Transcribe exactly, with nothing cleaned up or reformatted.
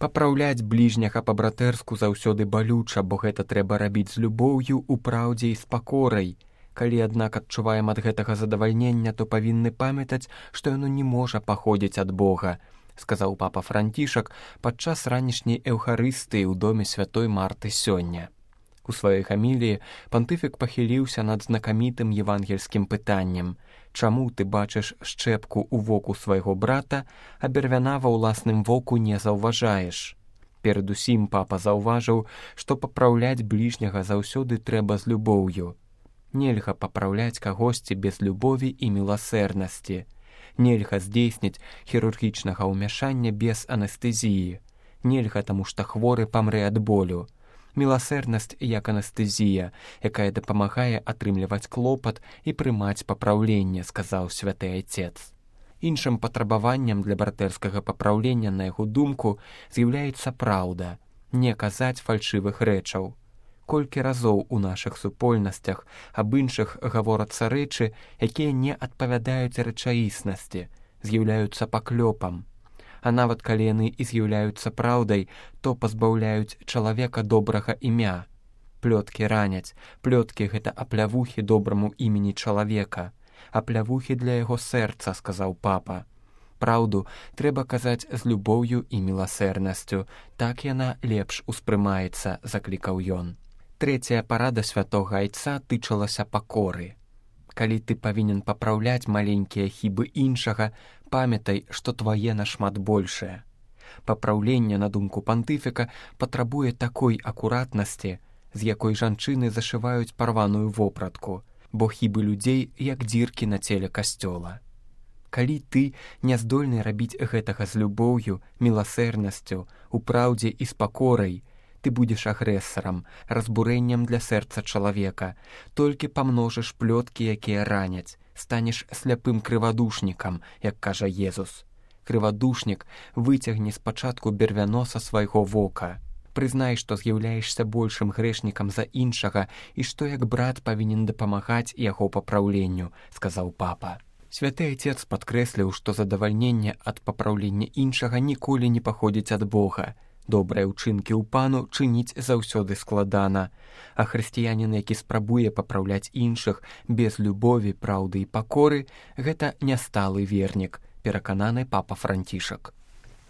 Папраўляць бліжняга па-братэрску заўсёды балюча, бо гэта трэба рабіць з любоўю, у праўдзе і з пакорай. Калі, аднак, адчуваем ад гэтага задавальнення, то павінны памятаць, што яно не можа паходзіць ад Бога, сказаў папа Францішак падчас ранішняй эўхарыстыі ў доме святой Марты сёння. У сваёй хаміліі пантыфік пахіліўся над знакамітым евангельскім пытаннем: «Чаму ты бачыш шчэпку ў воку свайго брата, а бервяна ва ўласным воку не заўважаеш?» Перадусім папа заўважыў, што папраўляць бліжняга заўсёды трэба з любоўю. Нельга папраўляць кагосьці без любові і міласэрнасці. Нельга здзейсніць хірургічнага ўмяшання без анестэзіі. Нельга, таму што хворы памрэ ад болю. Міласэрнасць як анестэзія, якая дапамагае атрымліваць клопат і прымаць папраўленне, сказаў святы айцец. Іншым патрабаваннем для братэрскага папраўлення, на яго думку, з'яўляецца праўда, не казаць фальшывых рэчаў. Колькі разоў у нашых супольнасцях аб іншых гаворацца рэчы, якія не адпавядаюць рэчаіснасці, з'яўляюцца паклёпам. А нават калі яны і з'яўляюцца праўдай, то пазбаўляюць чалавека добрага імя. Плёткі раняць, плёткі гэта аплявухі добраму імені чалавека, аплявухі для яго сэрца, сказаў папа. Праўду трэба казаць з любоўю і міласэрнасцю, так яна лепш успрымаецца, заклікаў ён. Трэцяя парада святога айца тычылася пакоры. Калі ты павінен папраўляць маленькія хібы іншага, памятай, што твае нашмат большае. Папраўленне, на думку пантыфіка, патрабуе такой акуратнасці, з якой жанчыны зашываюць парваную вопратку, бо хібы людзей як дзіркі на целе касцёла. Калі ты не здольны рабіць гэтага з любоўю, міласэрнасцю, у праўдзе і з пакорай, ты будзеш агрэсарам, разбурэннем для сэрца чалавека, толькі памножыш плёткі, якія раняць, станеш сляпым крывадушнікам, як кажа Езус. Крывадушнік выцягне спачатку бервяно са свайго вока. Прызнай, што з'яўляешся большым грэшнікам за іншага і што як брат павінен дапамагаць яго папраўленню, сказаў папа. Святы айцец падкрэсліў, што задавальненне ад папраўлення іншага ніколі не паходзіць ад Бога. Добрыя ўчынкі ў пану чыніць заўсёды складана, а хрысціянін, які спрабуе папраўляць іншых без любові, праўды і пакоры, гэта нясталы вернік, перакананы папа Францішак.